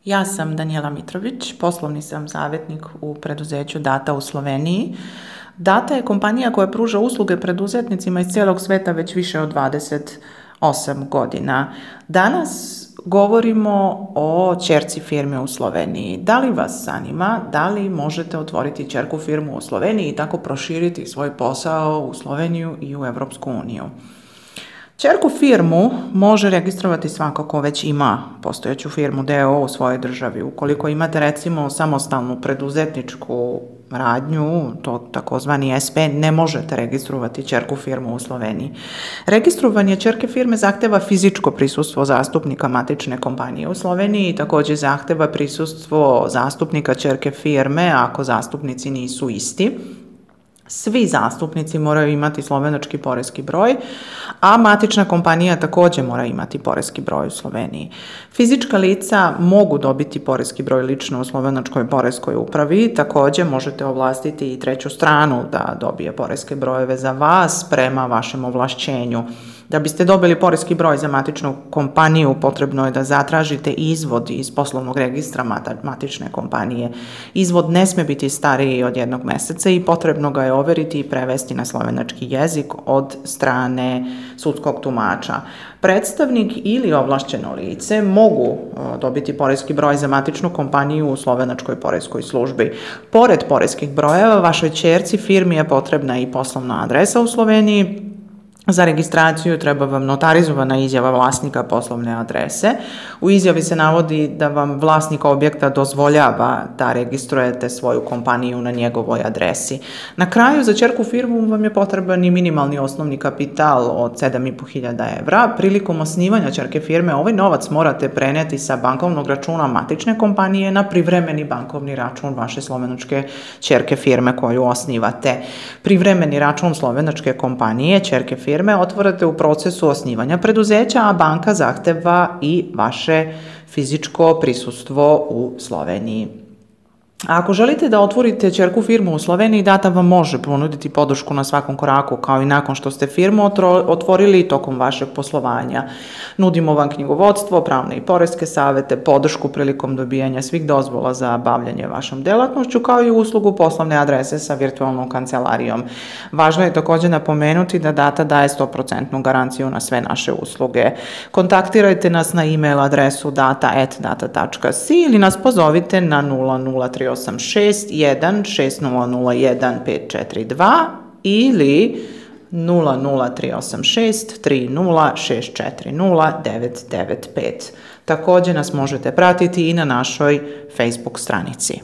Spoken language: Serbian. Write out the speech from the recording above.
Ja sam Danijela Mitrović, poslovni sam savjetnik u preduzeću Data u Sloveniji. Data je kompanija koja pruža usluge preduzetnicima iz cijelog sveta već više od 28 godina. Danas govorimo o ćerci firme u Sloveniji. Da li vas zanima, da li možete otvoriti ćerku firmu u Sloveniji i tako proširiti svoj posao u Sloveniju i u Europsku uniju? Ćerku firmu može registrovati svako ko već ima postojeću firmu d.o.o. u svojoj državi. Ukoliko imate recimo samostalnu preduzetničku radnju, to takozvani SP, ne možete registrovati ćerku firmu u Sloveniji. Registrovanje ćerke firme zahteva fizičko prisustvo zastupnika matične kompanije u Sloveniji i također zahteva prisustvo zastupnika ćerke firme ako zastupnici nisu isti. Svi zastupnici moraju imati slovenački poreski broj, a matična kompanija također mora imati poreski broj u Sloveniji. Fizička lica mogu dobiti poreski broj lično u slovenačkoj poreskoj upravi, također možete ovlastiti i treću stranu da dobije poreske brojeve za vas prema vašem ovlašćenju. Da biste dobili poreski broj za matičnu kompaniju, potrebno je da zatražite izvod iz poslovnog registra matične kompanije. Izvod ne smije biti stariji od 1 mjeseca i potrebno ga je overiti i prevesti na slovenački jezik od strane sudskog tumača. Predstavnik ili ovlašćeno lice mogu dobiti poreski broj za matičnu kompaniju u slovenačkoj poreskoj službi. Pored poreskih brojeva, vašoj ćerci firmi je potrebna i poslovna adresa u Sloveniji. Za registraciju treba vam notarizovana izjava vlasnika poslovne adrese. U izjavi se navodi da vam vlasnik objekta dozvoljava da registrujete svoju kompaniju na njegovoj adresi. Na kraju, za ćerku firmu vam je potreban i minimalni osnovni kapital od 7.500 evra. Prilikom osnivanja ćerke firme ovaj novac morate prenijeti sa bankovnog računa matične kompanije na privremeni bankovni račun vaše slovenačke ćerke firme koju osnivate. Privremeni račun slovenačke kompanije ćerke firme otvorite u procesu osnivanja preduzeća, a banka zahteva i vaše fizičko prisustvo u Sloveniji. A ako želite da otvorite ćerku firmu u Sloveniji, Data vam može ponuditi podršku na svakom koraku, kao i nakon što ste firmu otvorili tokom vašeg poslovanja. Nudimo vam knjigovodstvo, pravne i poreske savjete, podršku prilikom dobijanja svih dozvola za bavljanje vašom djelatnošću, kao i uslugu poslovne adrese sa virtualnom kancelarijom. Važno je također napomenuti da Data daje 100% garanciju na sve naše usluge. Kontaktirajte nas na e-mail adresu data@data.si ili nas pozovite na 00386 16001 542 ili 00386 30 995. Također nas možete pratiti i na našoj Facebook stranici.